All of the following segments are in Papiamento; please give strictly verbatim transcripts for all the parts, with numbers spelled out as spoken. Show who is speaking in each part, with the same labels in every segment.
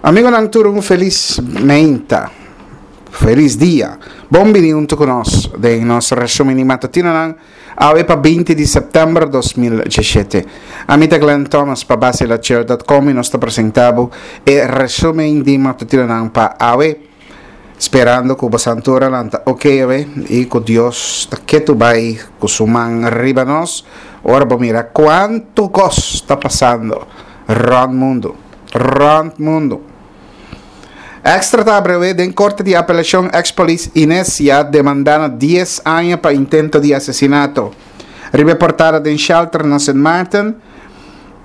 Speaker 1: Amigonan tur, un felis mainta. Felis dia. Bon bini huntu ku nos den nos resumen di matutinonan awe pa binti di sèptèmber dos mil diesshete. Ami ta Glenn Thomas pa Basilachel dot com i nos ta presentá bo e resumen di matutinonan pa awe. Sperando ku bo santuranan ta ok awe i ku Dios ta ketu bai ku su man riba nos ora bo mira kuantu kos ta pasando rònt mundu. Rònt mundu. Extra ta abrewé den korte di apelashon eks polis Inesia demandá na dies aña pa intento di asesinato. Riba e portada den shelter na Sint Maarten,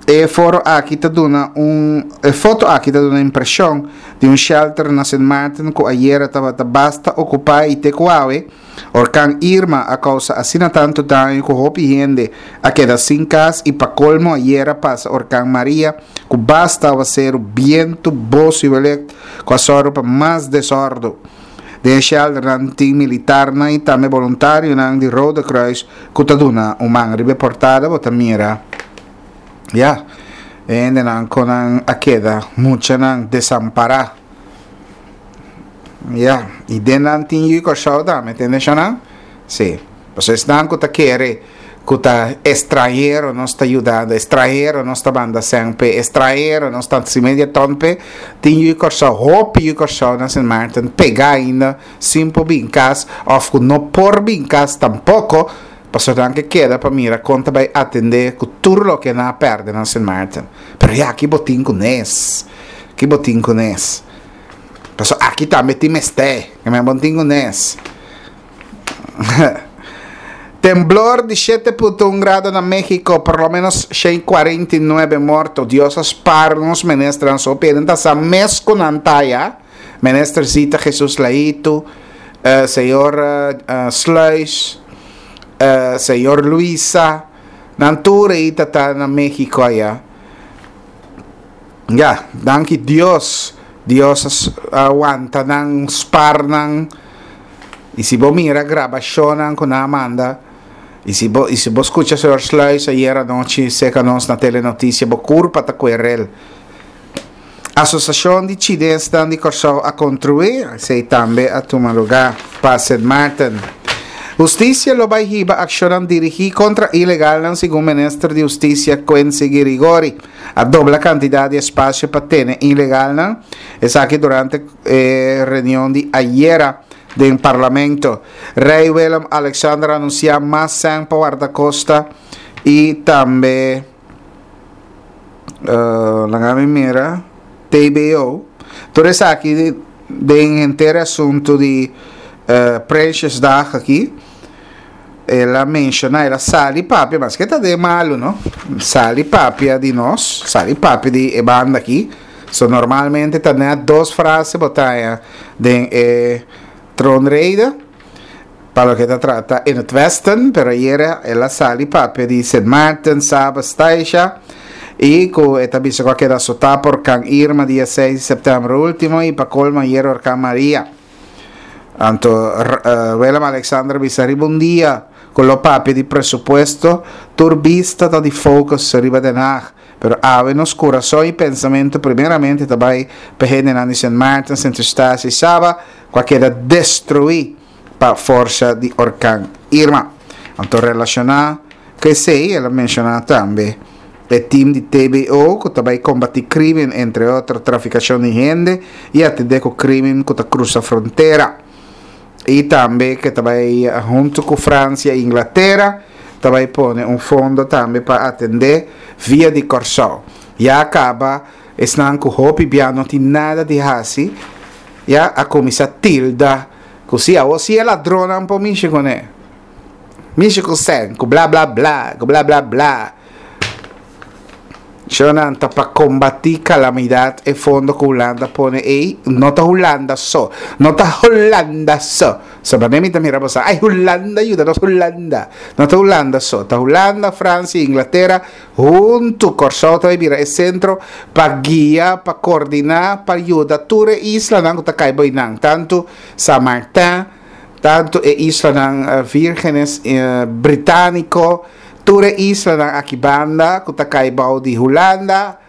Speaker 1: e foro aki ta duna un e foto aki ta duna impreshon di un shelter na Sint Maarten ku ayera tabata basta okupá i te ku awe. Orkan Irma a kousa asina tantu daño ku hopi hende a keda sin kas i pa kolmo ayera pasa orkan Maria ku basta awaseru, bientu, bos i welek ku a sòru pa mas desòrdu. Den e shelternan tin militarnan i tambe boluntarionan di Rode Kruis ku ta duna un man. Riba e portada bo ta mira ya e hendenan ku nan a keda muchanan desampará. Ya, i den nan tin yu Kòrsou tambe, tende shonnan? Sí. Pasobra esnan ku ta kere ku ta estranhero nos ta yudando, estranhero nos ta banda sèn p'e, estranhero nos ta hasi media ton p'e, tin yu Kòrsou, hopi yu Kòrsou na Sint Maarten pegá ainda sin por bin kas òf ku no por bin kas tampoko, pasobra nan ke keda pa mira kon ta bai atendé ku tur loke nan a pèrdè na Sint Maarten. Pero ya, ki bo tin ku nes? Ki bo tin ku nes? Pasobra aki tambe tin mester, ke men bon tin ku nes. Temblor di shete punto un grado na Mexico, por lo menos shen kuarenta i nuebe morto. Dios a spar nos ministernan so piden ta sa mes ku nan ta ya. Minister Zita Jesus Laitu, eh, señor eh, Sluis, eh, señor Luisa, nan tur ei ta ta na Mexico aya. Ya, danki Dios. Dios a wanta nan, spar nan. I si bo mira grabashonnan ku nan a manda, i si bo, i si bo skucha señor Sluis ayer anochi seka nos na Telenotisia, bo kurpa ta kuerel. Asosiashon di Chinesnan di Kòrsou a kontruí, esei tambe a tuma lugá pa Sint Maarten. Hustisia lo bai hiba akshonnan dirigí kontra ilegalnan segun minister di Hustisia Quincy Girigorie. A dobla kantidat di espasio pa tene ilegalnan, esaki durante e reunion di ayera den Parlamento. Rei Willem Alexander a anunsiá mas sèn pa Wardakosta i tambe laga mi mira T B O. Tur esaki den henter e asuntu di Prinsjesdag aki. El a menshoná, el a sali papia, maske ta den malu, no? Sali papia di nos, sali papia di e banda aki. So normalmente ta net dos frase bo ta haña den e troonrede pa loke ta trata in het westen, pero ayera el a sali papia di Sint Maarten, Saba, Staisha, i ku e ta bisa ku a keda asotá pa orkan Irma dia seis di sèptèmber último i pa kolmo ayera orkan Maria. Anto Willem Alexander bisa riba un dia ku lo papia di presupuesto, tur bista ta di focus riba Den Haag. Pero awe nos kurason i pensamentu primeramente ta bai pa e hendenan di Sint Maarten, Sint Eustatius i Saba ku a keda destruí pa forsa di orkan Irma. Anto relashoná ku esei el a menshoná tambe e tim di T B O ku ta bai kombatí krímen, entre otro trafikashon di hende i atendé ku krímen ku ta krusa frontera. I tambe ku ta bai huntu ku Fransia i Inglatera ta bai pone un fondo tambe pa atendé via di Kòrsou. Ya kaba esnan ku hopi bia no tin nada di hasi ya a kuminsá tilda ku si awor si e ladronnan por mishi kuné. Mishi ku sèn, ku bla bla bla, ku bla bla bla. Shonan ta pa kombatí kalamidat e fondo ku Hulanda pone ei no ta Hulanda so, no ta Hulanda so. So manera mi ta mira boso, ai Hulanda yuda nos Hulanda. No ta Hulanda so, ta Hulanda, Fransia i Inglatera huntu. Kòrsou ta bai bira e sentro pa guia, pa kordiná, pa yuda tur e islanan ku ta kai bo einan, tantu San Martin, tantu e islanan Vírgenes Britániko, tur e islanan aki banda ku ta kai bou di Hulanda,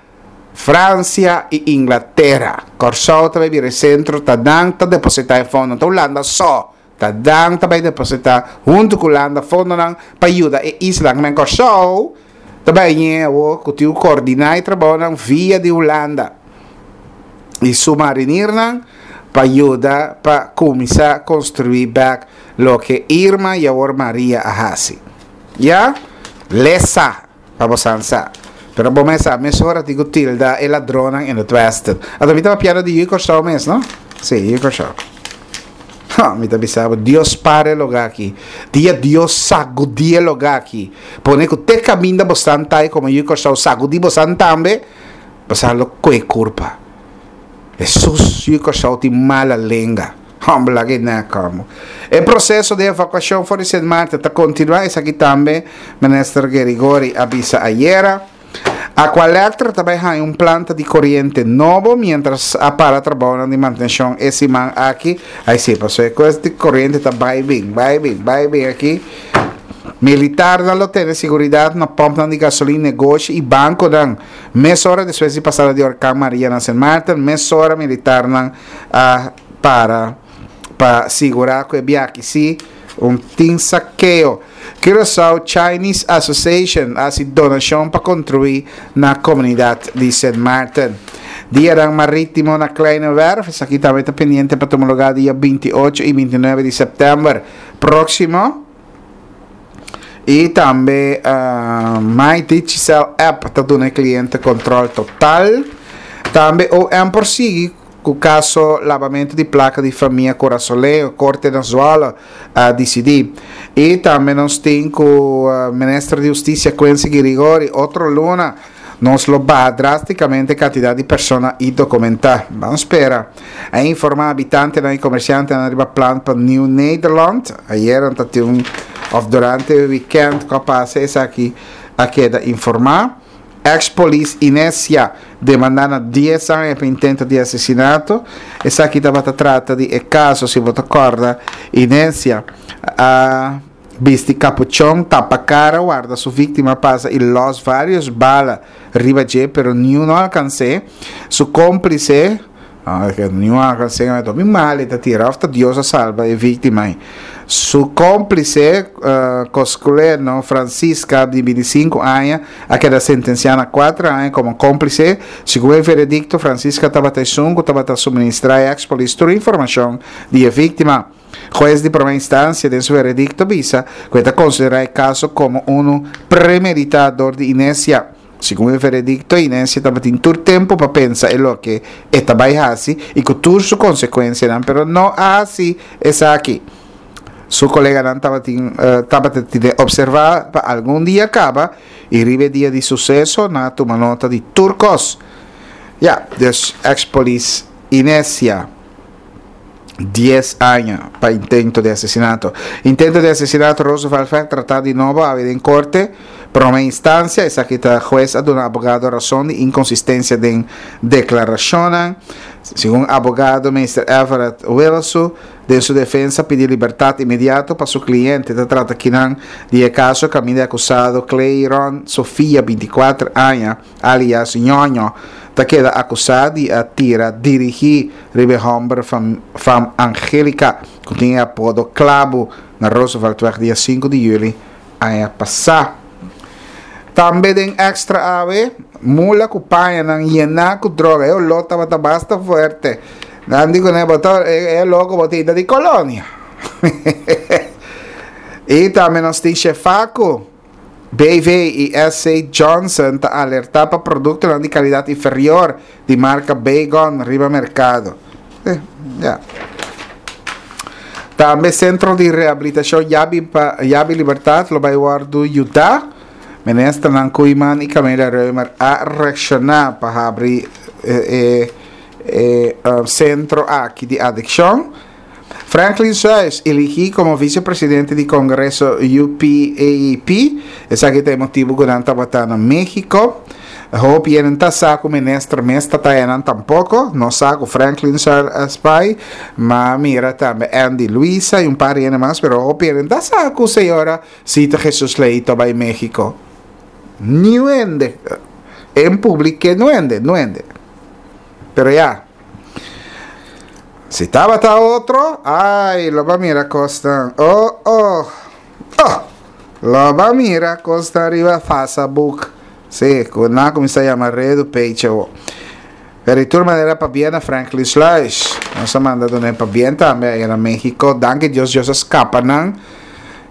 Speaker 1: Fransia i Inglatera. Kòrsou ta bai bira e sentro, ta nan ta depositá e fondo, ta Hulanda so, ta nan ta bai depositá huntu ku Hulanda fondonan pa yuda e islanan. Men Kòrsou ta bai ñe awor ku tin ku koordiná e trabounan via di Hulanda i su marinirnan pa yuda pa kuminsá konstruí bèk loke Irma i awor Maria a hasi. Ya? Lesa pa bo san sa. Pero bo mes sa, mesora tin ku tilda e ladronnan in het westen. Anto mi ta papiando di Yu Kòrsou mes, no? Sí, Yu Kòrsou. Ha, mi ta bisa bo, Dios para e lugá aki. Dia Dios sagudí e lugá aki. Pone ku te kaminda bo san ta i komo Yu Kòrsou sagudí bo san tambe, bo sa lo kue kurpa. Hesus, Yu Kòrsou tin mala lenga. Hòmber laga e nèk kòmo. E proseso di evakuashon for di Sint Maarten ta kontinuá, esaki tambe Minister Gerigori a bisa ayera. Aqualectra ta bai haña un planta di koriente nobo miéntras a para trabounan di mantenshon e siman aki. Ai si, pasobra e kos di koriente ta bai bin, bai bin, bai bin aki. Militarnan lo tene siguridat na pòmpnan di gasolin, negoshi i bankonan. Mesora despues di pasada di orkan Maria na Sint Maarten, mesora militarnan a para pa sigurá ku e biaha si un tin sakeo. Curaçao Chinese Association a hasi donashon pa kontribuí na komunidat di Sint Maarten. Dianan Marítimo na Kleine Werf, esaki tambe ta pendiente pa tuma lugá dia binti ocho i binti nuebe di sèptèmber próksimo. I tambe My Digicel App ta duna e kliente kòntròl total. Tambe O M por sigui ku kaso labamentu di plaka di famia Kurasoleo, Korte na Zwolle a disidí. I tambe nos tin ku Minister di Hustisia Quincy Girigorie otro luna nos lo baha drástikamente e kantidat di persona indokumentá. Ban spera. A informá habitantenan i komersiantenan riba plan pa Nieuw Nederland. Ayera ta tin un òf durante e wikènt ku a pasa esaki a keda informá. Ex polis Inesia demandá na dies aña pa intento di asesinato. Esaki tabata trata di e kaso, si bo ta kòrda, Inesia a bisti kapuchon, tapa kara, warda su víktima pasa i lòs vários bala riba dje, pero niun no alkans'é. Su kómplise, niun a alkans'é, ta hopi mal e ta tira, òf ta Dios a salba e víktima ei. Su kómplise, Cosculeno Francisca, di binti sinku aña, a keda sentensiá na kuater aña komo kómplise. Segun e veredikto, Francisca tabata esun ku tabata suministrá e eks-polis tur informashon di e víktima. Hues di promé instansia den su veredikto bisa ku e ta konsiderá e kaso komo unu premeditá dor di Inesia. Segun e veredikto, Inesia tabatin tur tempu pa pensa e loke e ta bai hasi i ku tur su konsekuensianan, pero no a hasi esaki. Su koleganan tabatin tabata tine opservá pa algun dia kaba i riba e dia di suseso nan a tuma nota di tur kos. Ya, dus eks-polis Inesia dies aña pa intento di asesinato. Intento di asesinato Roosevelt Vecht tratá di nobo awe den korte prome instansia. Esaki ta hues a duna abogado rason di inkonsistensia den deklarashonnan. Segun abogado Meester Everett Wilsu den su defensa pidi libertat inmediato pa su kliente. Ta trata kinan di e kaso kaminda e akusado Clayron Sofia, binti kuater aña, alias Ñoño, ta keda akusá di a tira dirigí riba e hòmber fam Angelica, ku tin e apodo Klabu, na Rooseveltweg dia sinku di yüli aña pasá. Tambe den Extra awe, mula ku pañanan yená ku droga. E oló tabata basta fuerte. Nan di kuné, bo ta e oló ku bo tin ta di kolonia. I tambe nos tin Shefaco. B V i S C Johnson ta alertá pa produktonan di kalidat inferior di marka Baygon riba merkado. Eh, ya. Tambe Sentro di Rehabilitashon Yabi pa Yabi Libertad lo bai wòrdu yudá. Ministernan Koeiman i Camelia Römer a reakshoná pa habri e e sentro aki di adikshon. Franklin Suijs, eligí komo visepresidente di Kongreso U P A E P. Esaki ta e motibu ku nan tabata na México. Hopi hende ta sa ku minister mes ta taya nan tampoko. No sa ku Franklin Suijs a bai. Ma mira tambe Andy Luisa i un par di hende mas, pero hopi hende ta sa ku señora Sita Jesus Leito a bai México. Niun hende. En públiko no hende, no hende. Pero ya. Si tabata otro, ai, lo bo a mira kos. Oh, oh. Oh. Lo bo a mira kos riba Facebook. Si, ku nan a kuminsá yama redu page. Pero di tur manera, pabien na Franklin Sluis. Nos a manda dun'é pabien tambe ei na México. Danki Dios, Dios a skapa nan.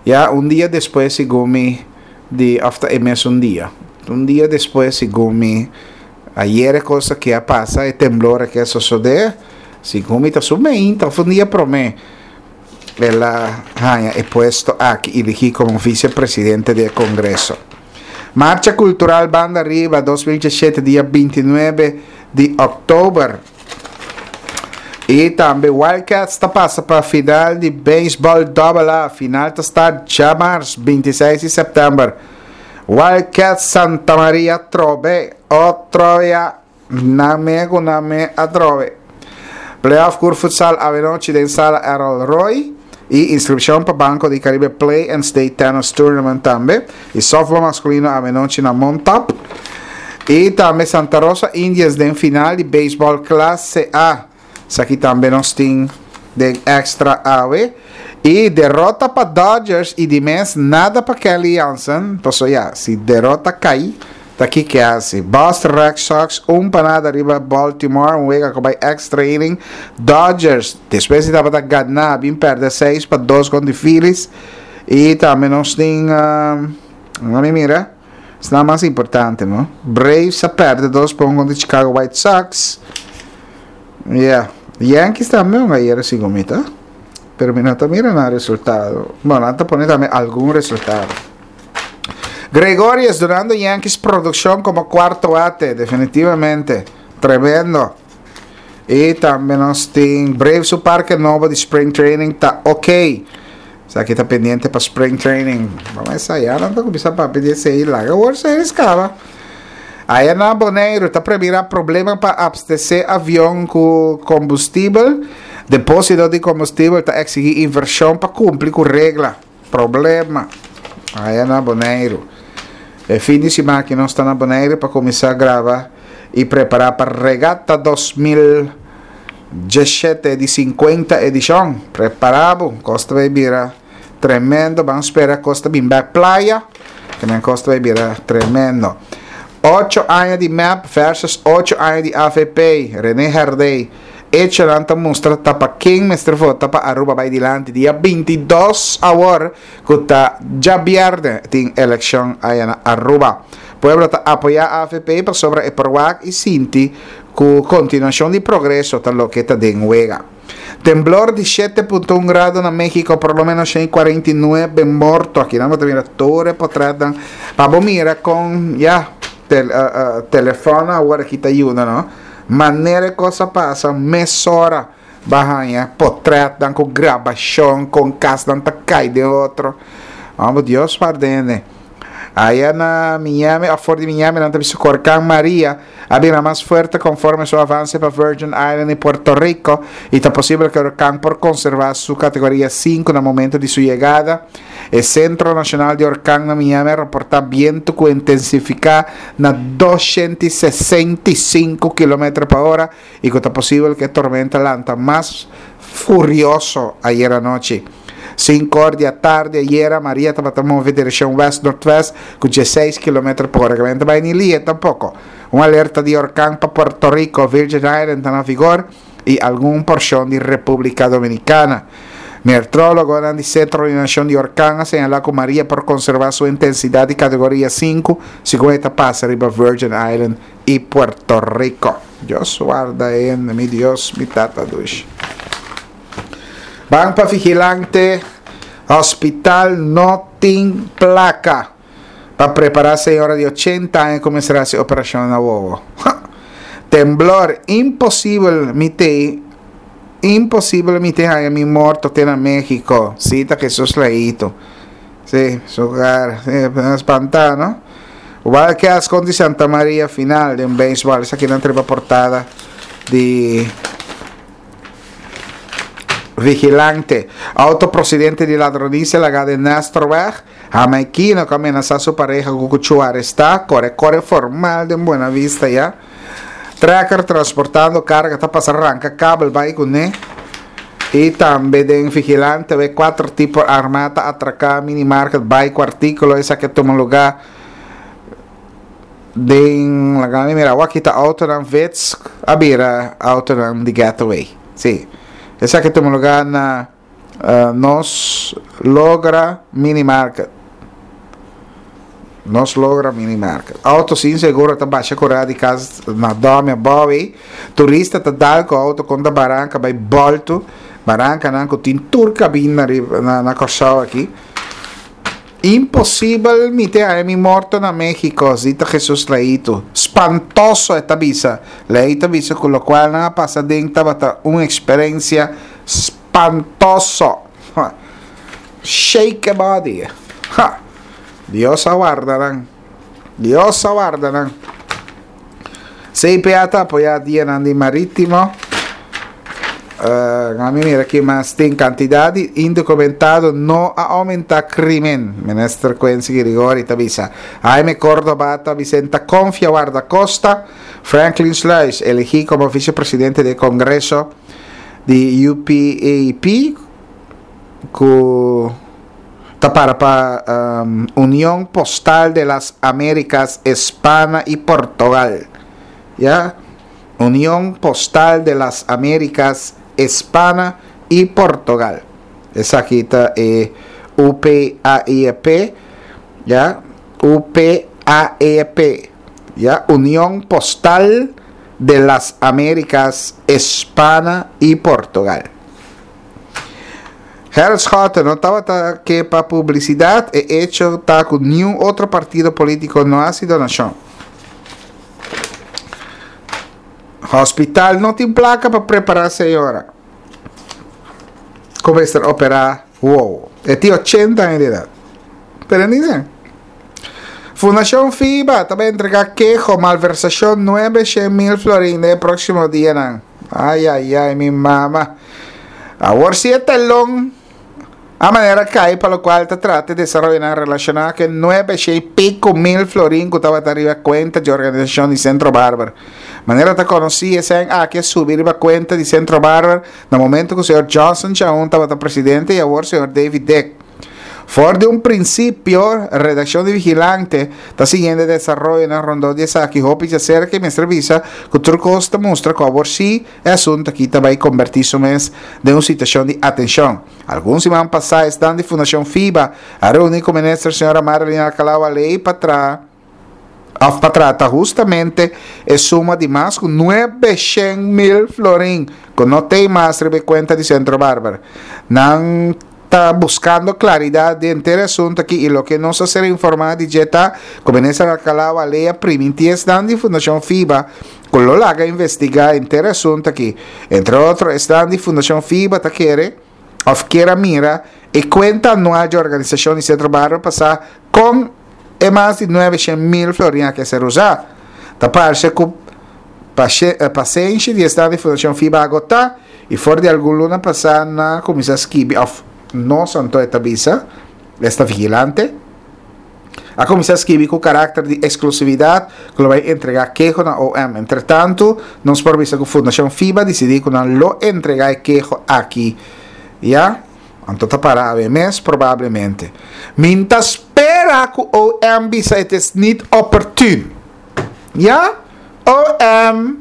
Speaker 1: Ya un dia despues, segun mi, di after e mesun dia. Un dia despues, segun mi, ayera kos ku a pasa, e temblor ku a sosodé, segun mi ta sumente, un dia promé, el a haña e puesto aki, elegí komo visepresidente di Kongreso. Marcha Kultural Banda Riba dos mil diesshete, dia bintinuebe di òktober. I tambe Wildcats ta pasa pa final di beisbòl Double A. Final ta start djamars, bintiseis di sèptèmber. Wildcats Santa Maria trobe. Otro ya. Name ku name atrobe. Playoff Cur Futsal anochi den sala Errol Roy. I inskripshon pa Banco di Caribe Play and Stay Tennis Tournament tambe. I softball maskulino anochi na Montap. I tambe Santa Rosa Indians den final di beisbòl klase A. Esaki tambe nos tin den Extra awe. I derota pa Dodgers i di mes nada pa Kenley Jansen. Paso ya, si derota kai, ta aki ku hasi. Boston Red Sox un pa nada riba Baltimore, un wega ku bai extra inning. Dodgers, despues di tabata gana, bin pèrdè seis pa dos kontra Phillies. I tambe nos tin, uh, ban mira, esei ta mas importante, no? Braves a pèrdè dos pa un kontra Chicago White Sox. Yeah. Yankees tambe un ayera segun mi ta. Pero mi no ta mira e resultado. Bueno, nan ta pone tambe algun resultado. Gregorius dunando Yankees produkshon komo kuarto bate, definitivamente. Tremendo. I tambe nos tin Braves su parke nobo di Spring Training ta ok. Esaki ta pendiente pa Spring Training. Ban ensayá, no ta kuminsá pa pidi esei laga. World Series kaba. Ei na Boneiru ta premirá problema pa abastesé avion ku kombustibel. Depósito di kombustibel ta eksigí invershon pa kumpli ku regla. Problema. Ei na Boneiru. E fin di siman ku nos ta na Boneiru pa kuminsá graba i prepará pa Regata dos mil diesshete di sinkuenta edishon. Prepará, kos ta bai bira tremendo. Ban spera kos ta bin bèk Playa, ku nan kos ta bai bira tremendo. Ocho aña di M E P versus ocho aña di A V P. René Herdé. Echonan ta mustra ta pa ken mester vota pa Aruba bai dilanti. Dia bintidos awor, ku ta djabièrnè, tin elekshon ei na Aruba. Pueblo ta apoyá A V P pasobra e por wak i sinti ku kontinuashon di progreso ta loke ta den wega. Temblor di shete punto un grado na México, por lo menos shen kuarenta i nuebe morto. Aki nos ta mira tur e portrèt. Pa mira kon ya tel, uh, uh, telefòn awor aki ta yuda, no? Manera kos a pasa, mesora bo a haña portrèt ku grabashon, ku kas ta kai den otro. Vamos, Dios guarda. Aya na Miami, for di Miami, nan ta Orkan Maria a bira mas fuerte konforme su avanse pa Virgin Island i Puerto Rico i ta posibel ku e orkan por konservá su kategoria sinku na momento di su yegada. E Sentro Nashonal di Orkan na Miami a reportá bientu ku a intensifiká na dosshen sesenta i sinku kilometer pa ora i ku ta posibel ku e tormenta lanta mas furioso ayera nochi. Sinku or di atardi ayera, Maria tabata move direkshon west-noordwest ku diesseis kilometer pa ora, ku no bai ni lie tampoko. Un alerta di orkan pa Puerto Rico, Virgin Island ta na vigor i algun porshon di Repúblika Dominikana. Meteorólogo di Sentro Nashonal di Orkan a señalá ku Maria por konservá su intensidat di kategoria sinku segun e ta pasa riba Virgin Island i Puerto Rico. Dios warda en mi Dios, mi tata dushi. Ban pa Vigilante. Hospital no tin plaka pa prepará señora di ochenta aña kuminsá e operashon na wowo. Temblor, imposibel mi te imposibel mi te haña mi morto te na México. Sí, ta Jesus Leito. Sí, su cara, sí, espantá, no? Wildcats kontra Santa Maria final di beisbòl. Esaki na portada di Vigilante. Outo prosedente di ladronisia lagá den Nestorweg. Hamaikino ku a menasá su pareha ku kuchú arestá, kore kore formal den Buena Vista ya. Trekker transportando karga ta pasa ranka kabel bai kuné. I tambe den Vigilante we kuater tipo armá ta atraká minimarket bai ku artíkulo. Esaki a tuma lugá den laga mi mira awor aki ta autonan Vitz a bira autonan di getaway. Sí. Esaki a tuma lugá na Nos Logra Mini Market. Nos Logra Mini Market. Auto sin seguro ta basha kura di kas na Domi abou ei. Turista ta dal ku auto kontra baranka bai boltu. Barankanan ku tin tur kabina riba na Kòrsou aki. Imposibel mi te haña mi morto na Mexico, zita Jesus Leito. Spantoso, e ta bisa. Leito a bisa ku lokual nan a pasa den tabata un eksperensia spantoso. Shake a body. Ha! Dios a warda nan. Dios a warda nan. C P A ta apoyá dianan di marítimo. Uh, mi mira ki mas tin cantidad di indocumentado no a aumenta crimen. Minister Quincy Girigorie ta bisa. Jaime Cordoba ta bisa ta confia guardacosta. Franklin Sluis elegi como vicepresidente de Congreso di U P A P cu ta para pa, um, Unión Postal de las Américas, España y Portugal. Ya? Unión Postal de las Américas, España y Portugal. Esaki ta e U P A I E P, ya? U P A E P, ya? Unión Postal de las Américas, España y Portugal. Gerrit Schotte no tabata ke pa publicidad, e hecho ta ku ni un otro partido político no haci donación. Hospital no tin placa pa prepara señora. Como estar opera, wow. E ti ochenta años de edad. Pero ni sé. Fundación FIBA también entrega quejo, malversación nueve cien mil florines el próximo día. Nan. Ay, ay, ay, mi mamá. Ahora sí el telón a manera cae para lo cual te trate de desarrollar relacionada que nueve y pico mil florín que estaba arriba cuenta de organización y Centro Barber. Manera te conocí ese año aquí subir la cuenta de Centro Barber en el momento que el señor Johnson Chaun estaba presidente y ahora el señor David Dick. For de un principio, redacción de Vigilante está siguiendo el desarrollo en el rondón de Saki Hopi se acerca y me servisa que otro costa muestra que ahora sí el asunto aquí te va a convertir su mes de una situación de atención. Algunos semanas pasadas están de Fundación FIBA a reunir con ministra señora Marilyn Alcalá ley para atrás. Of pa trata justamente e suma di mas ku nuebe shen mil florin ku no tem mas riba e kuenta di Centro Barber. Nan ta buscando claridad de entero asunto aquí y lo que nos hace informar di Jetta, como en esa Alcalá Valea priminti estan di Fundación FIBA, con lo laga investigar entero asunto aquí. Entre otros, están di Fundación FIBA ta quiere, of quiera mira, e cuenta anual de organización y Centro Barber pasar con e más de nueve cien mil florines que ser usar. Taparse ku pache-, eh, paciência de estar de Fundación FIBA agotar e for de algum luna passar na comissão skibi of no santo esta visa, esta vigilante. A comissão skibi com carácter de exclusividade que lo vai entregar quejo na O M. Entretanto, nos por visa que Fundación FIBA decidi que não lo entregar quejo aqui. Ya? Anto tá para A B mes, probablemente. Minta espera que O M bisa het is niet opportun. Ja? O M.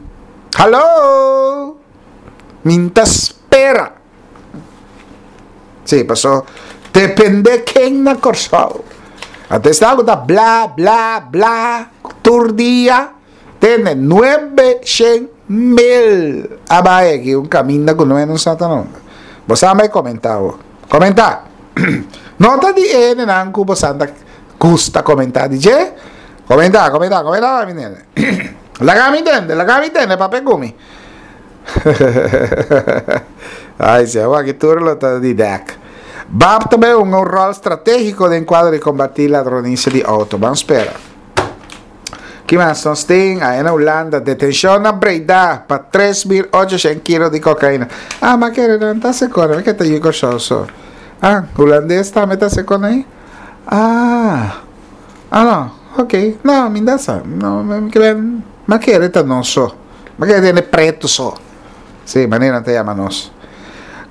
Speaker 1: Hallo? Minta espera. Sí, pasó. Depende quién na Corsao. Antes está algo da bla, bla, bla. Tur dia. Tiene nueve cien mil. Abaye, aquí un camino con nueve no sata no. Vos me comentado. Comenta. Nota di N nanku vos anda gusta comentar, D J. Comenta, comenta, comenta, mi nene. La gami intende, la gami intende, papel gumi. Ay, se va que tú lo estás di deck. Bab también un rol estratégico de encuadre y combatir ladronicia de auto. Vamos a esperar. ¿Qué más nos tienen? Ahí en Holanda, detención a Breda pa tres mil ochocientos kilos de cocaína. Ah, ma que no está seco, ¿qué te digo yo? Ah, holandés está meta seco ahí. Ah, ah no, ok, no, mi no sa, no, m'a kere ta nos so, m'a kere hende pretu so, sí, manera nan ta yama nos.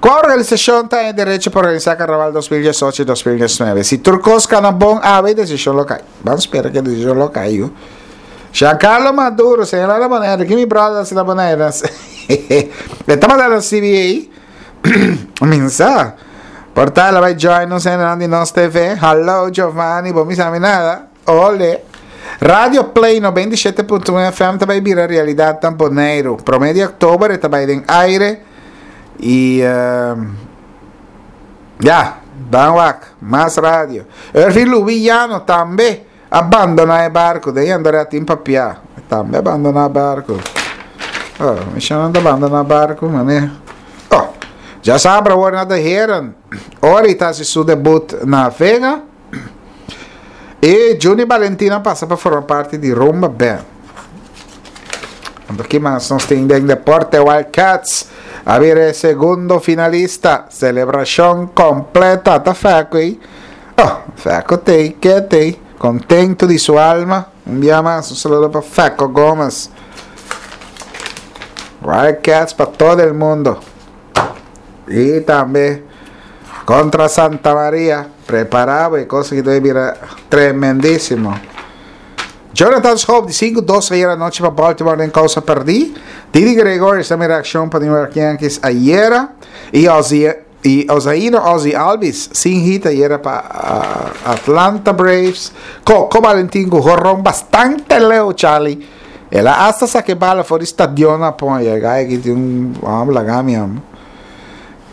Speaker 1: Kua organisashon ta den derecho pa organisá Karnaval dos mil diesocho i dos mil diesnuebe? Si tur kos kana bon, awe e desishon lo kai. Ban spera ku e desishon lo kai, yu. Giancarlo Maduro, señalá na Bonaire, ki mi brother hasi na Bonaire? E tabata na C B A. Minsa. Por ta el a bai join nos hendenan di Nos T V. Hallo Giovanni, bo misa mi nada. Ole. Radio Play noventa i shete punto un F M ta bai bira realidat na Boneiru. Promé di òktober e ta bai den aire. I ya, ban wak, mas radio. Ervin Lubiano tambe a bandoná e barku. Den Andrea tin papiá. Tambe a bandoná barku. Oh, mi shana ta bandoná barku, mané. Oh, djasabra awor na De Heren. Ori ta hasi su debut na Vega. E Juni Valentina pasa pa forma parti di Rumba Band. Anto ki mas nos tin den deporte? Wildcats a bira e segundo finalista. Selebrashon kompleta. Ta Feco ei. Oh, Feco tei, ke tei. Contento di su alma. Un bia mas, un saludo pa Feco Gomez. Wildcats pa todo el mundo. I tambe kontra Santa Maria. Prepará bo, e kos aki ta bira tremendísimo. Jonathan Schoop di sinku dos ayer anochi pa Baltimore den kousa pèrdí. Didi Gregorius ta mira akshon pa New York Yankees ayera. I Ozzie i Ozaino Ozzie Albies sin hit ayera pa Atlanta Braves. Coco Valentin ku horon bastante leu, Charlie. El a hasta saka e bala for di stadion na pon. E guy aki tin un hòmber laga mi hòmber.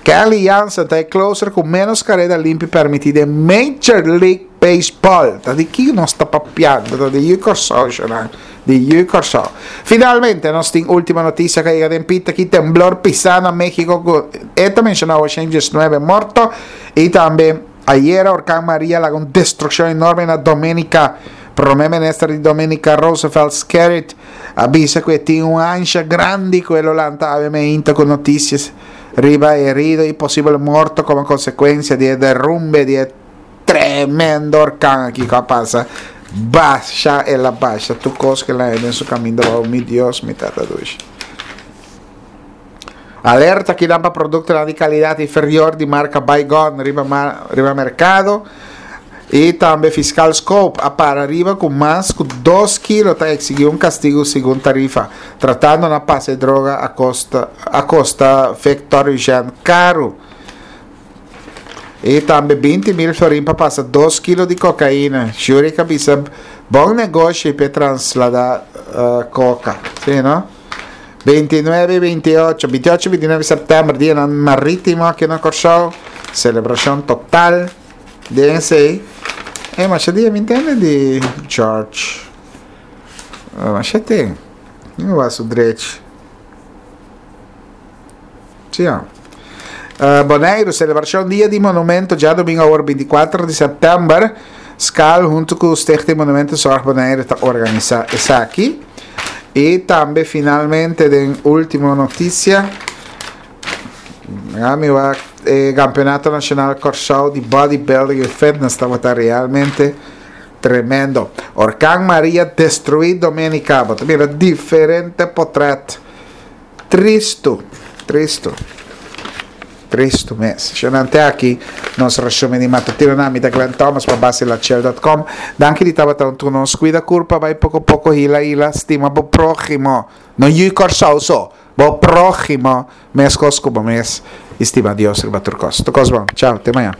Speaker 1: Kenley Jansen ta e closer ku ménos kareda limpi permití den Major League Baseball. Ta di ki nos ta papiando? Ta di yu Kòrsou, shonnan. Di yu Kòrsou. Finalmente, nos tin último notisia ku a yega den pita aki, temblor pisá na México ku e ta menshoná ochenta i diesnuebe morto i tambe ayera orkan Maria laga un destrukshon enorme na Dominica. Prome Minister di Dominica Roosevelt Skerrit a bisa ku e tin un ansha grandi ku e lo lanta awe meinta ku notisias riba e herido i posibel morto komo konsekuensia di e derumbe di e tremendo orkan aki ku a pasa. Basha el a basha tur kos ku el a haña den su kaminda bou. Mi Dios, mi Tata dushi. Alerta kinan pa produktonan di kalidat inferior di marka Baygon riba riba merkado. I tambe Fiskal Scope a para riba ku mas ku dos kilo ta eksigí un kastigu segun tarifa, tratando na pasa e droga a kosta a kosta Victor Eugène karu. I tambe binti mil florin pa pasa dos kilo di kokaina. Shurick a bisa bon negoshi p'e trasladá koka. Sí, no? Binti nuebe i binti ocho, binti ocho i binti nuebe sèptèmber, dianan marítimo aki na Kòrsou. Selebrashon total. Den esei, e masha dia mi ntende di George. Masha ten. Mi wak su drechi. Sí, ja. Uh, Boneiru, selebrashon Dia di Monumento djadomingo awor binti kuater di sèptèmber. Skal huntu ku Stichting Monumentenzorg Bonaire ta organisá esaki. I tambe finalmente den último notisia, mi wak e Campeonato Nacional Kòrsou di Bodybuilding y Fitness tabata realmente tremendo. Orkan Maria destruí Dominica. Bo ta mira diferente potret. Tristu, tristu. Tristu mes. Shonnan te aki nos resumen di matutino na mi ta Glenn Thomas pa basilachel dot com. Danki di tabata huntu ku nos. Kuida kurpa bai poko poko hila hila stima bo próhimo. No yu Kòrsou so. Bo próhimo meskos ku bo mes i stima Dios riba tur kos. Tur kos bon. Chao. Te mañana.